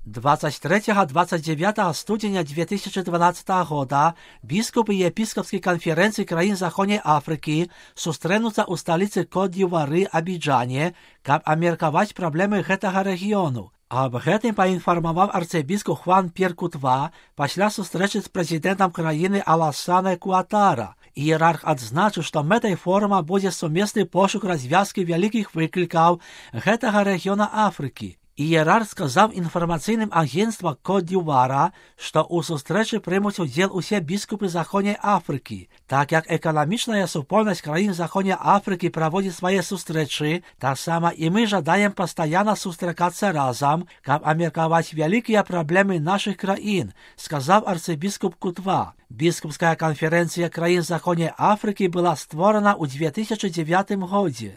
23-29 студеня 2012 года біскупи Єпископської конференції країн Західної Африки зустрінуться у столиці Кот-д'Івуару Абіджані, щоб обміркувати проблеми гэтага регіону. Об гэтым поинформовал арцебіскуп Хуан Пьер Кутва після зустрічі з президентом країни Алассане Куатара. Ієрарх адзначив, що метой форума буде сумісний пошук розв'язки великих викликів гэтага регіону Африки. Ієрарх сказав інформаційним агентствам Кот-д'Івуара, що у зустрічі приймуть уділ усі біскупи Західної Африки. Так як економічна супольність країн Західної Африки проводить свої зустрічі, так само і ми жадаємо постійно зустрікатися разом, щоб обміркувати великі проблеми наших країн, сказав арцебіскуп Кутва. Біскупська конференція країн Західної Африки була створена у 2009 році.